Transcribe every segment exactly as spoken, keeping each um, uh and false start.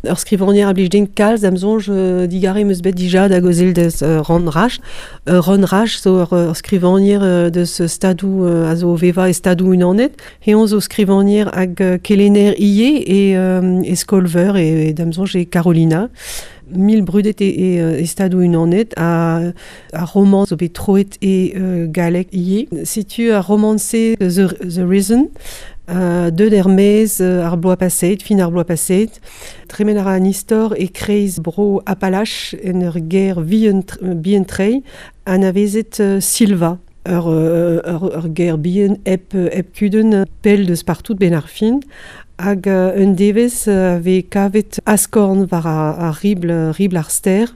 Ur skrivanier a blij din kalz am soñj euh, digare meus bet dija da gozel deus euh, Ron Rach. Euh, Ron Rach zo ur, ur skrivanier euh, deus stadou euh, a zo veva e stadou unanet. Heon zo skrivanier hag euh, kelener ie e, euh, e skolver e, e dam soñj e Carolina. Mil brudet e, e, e stadou unanet a, a roman zo bet troet e euh, galek ie. Setu a roman-se The, The Reason, euh, deut er-maez euh, ar bloaz paset, fin ar bloaz paset. Tremen a ra an istor e kreiz bro Appalache en ur ger vihan, bihan tre anavezet euh, Silva. Ur, ur, ur, ur ger bihan hep, hep kudenn pell deus partout ben ar fin. Hag uh, un devez uh, ve kavet askorn war ar, ar ribl, ribl ar ster,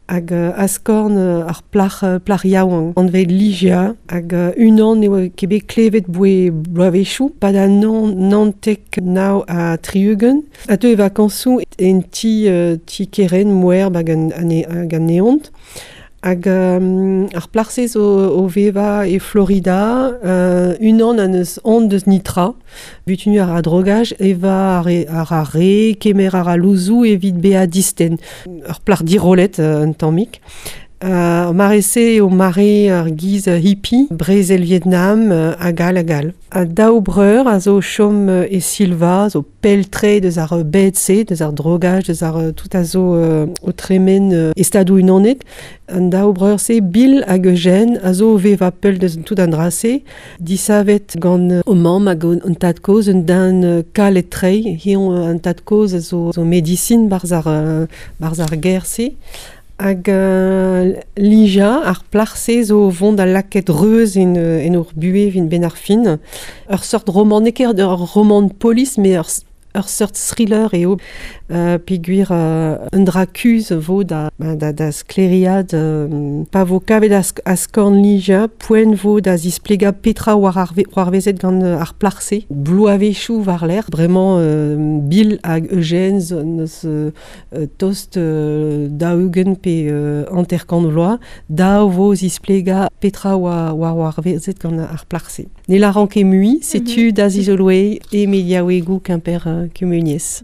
hag uh, askorn uh, ar plac'h, uh, plac'h yaouank anvet Ligia, hag uh, unan eo ket bet klevet boe bloavezhioù, pad an nan, nantek nav ha tri-ugent. A teu e vakañsoù en ti, uh, ti keren moerb hag an, an, hag an neont. Hag um, ar plac'h-se zo o veva e Florida, uh, unan an eus on deus nitra, butunu ar a drogaj, eva ar, ar ar re, kemer ar a louzou evit bea disten. Ur plac'h dirolet uh, un tammig. Uh, mare-se eo mare ar giz hippie, brezel Vietnam, uh, hag all hag all. A daou breur a zo chom e Silva, zo pell-tre deus ar bed-se, deus ar drogaj, deus ar tout a zo uh, o tremen uh, e stadou unanet. An daou breur-se, Bill hag Eugène, a zo veva pell deus tout an dra-se, disavet gant o mamm hag an tad-kozh un den uh, kalet-tre, hiziv an tad-kozh a zo, zo medisin barzh ar, uh, barzh ar ger-se. Hag uh, Lija, ar plac'h-se zo vont da laket reuz en, en ur buhe vin ben ar fin. Ur seurt roman, n'eo ket ur roman polis, mais ur, ur seurt thriller eo. Uh, peogwir uh, un dra kuzh vo da, da, da skleriad euh, pa vo kavet as, askorn Lija, poent vo da zisplega petra war ar, war vezet gant ar plac'h-se. Bloavezhioù war lerc'h, bremañ euh, Bill hag Eugène zo neus euh, tost euh, daou-ugent pe euh, hanter-kant vloaz, dav vo zisplega petra war, war war vezet gant ar plac'h-se. Ne lâran ket mui, setu mm -hmm. da zizoloe e mediaouegoù Kemper uh, kumuniezh.